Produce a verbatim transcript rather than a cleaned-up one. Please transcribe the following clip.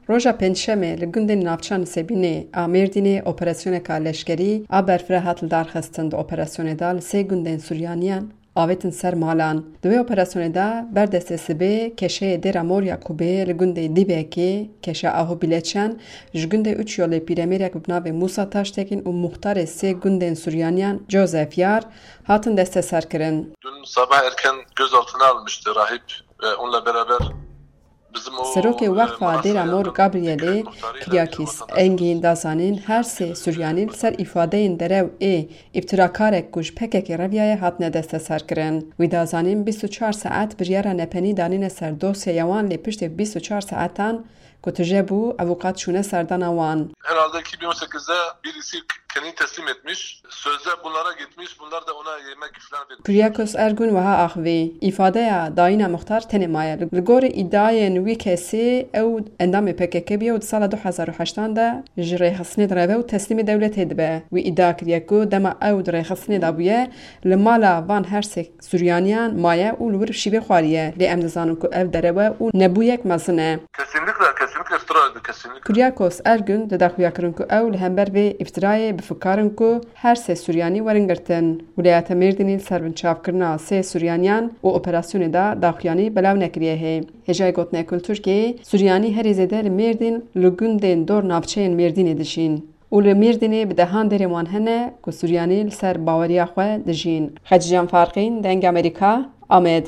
Roja Pêncşemê li gundên navçeya Nisêbînê a Mêrdînê operasyoneka leşkerî a berfireh hat lidarxistin. Di operasyonê de li sê gundên Suryaniyan avêtin ser malan. Di wê operasyonê de ber destê sibê keşeyê Dêra Mor ya Kubê li gundê Dîbekê, keşa Aho Bileçen, ji gundê Uç Yolê pîremêrek bi navê Mûsa Taştekîn û muxtarê sê gundên Suryaniyan Joseph Yar hatin desteserkirin. Dün sabah erken gözaltına almıştı rahip. E, onunla beraber bizim o, Serokê e, Weqfa manastır Dêra Mor yanında Gabrielê Kiryakîs Engîn da zanîn her sê Suryanî li ser îfadeyên derew ê îftirakarek ku ji P K K reviyaye hatine desteserkirin. Wî da zanîn bîst û çar saet biryara nepenî danîne ser dosyeya wan, lê piştê bîst û çar saetan ku tije bû, avûkat çûne serdana wan. Herhalde iki bin on sekizde birisi k-, kendini teslim etmiş. Sözde bunlara gitmiş, bunlar da ona yemek falan vermiş. Kuryakos Ergun wiha axivî, îfadeya dayîna muxtar tenê maye. Li, li gorî îdiayên wî kesî ew endamê P K K bûye û di sala du hezar û heştan de ji rêxistinê direve û teslîmê dewletê dibe. Wî îdia kiriye ku dema ew di rêxistinê de bûye, li mala van her sê Suryaniyan maye û li wir şîvê xwariye, lê em dizanin ku ev derew e û nebûyek mezin e. Kesinlikle, kesinlikle iftira, kesinlikle. Kuryakos Ergun di daxuya kirin ku ew li hember vê îftirayê bi fikar in ku her sê Suryanî werin girtin. Wilayeta Mêrdînî li ser binçavkirina sê Suryaniyan û operasyonê de daxuyanî belav nekiriye hê. Hêjayê gotinê Kulturkê, Suryanî herî zêde li Mêrdîn li gundên dor navçeyên Mêrdînê dijîn. Û li Mêrdînê bi dehan derên wan hene ku Suryanî li ser baweriya xwe dijîn. Xecîcan Farqîn, Dengê Amerîka, Amed.